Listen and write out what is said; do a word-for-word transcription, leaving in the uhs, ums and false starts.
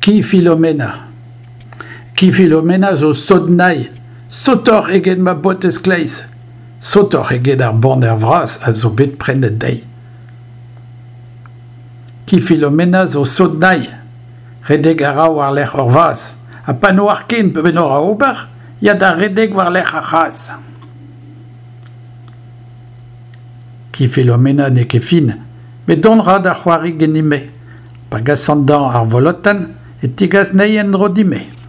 Ki Filomena. Ki Filomena zo sot-nay, sotoc'h eget ma botez kleiz, sotoc'h eget ar baner vras a zo bet prenet dezhi. Ki Filomena zo sot-nay, redek a ra war-lerc'h ur vazh, ha pa n'oar ken penaos ober, ya da redek war-lerc'h ar c'hazh. Ki Filomena n'eo ket fin, met dont a ra da c'hoari ganin-me. Pa gasan dezhañ ar volotenn e tegas anezhi en-dro din-me.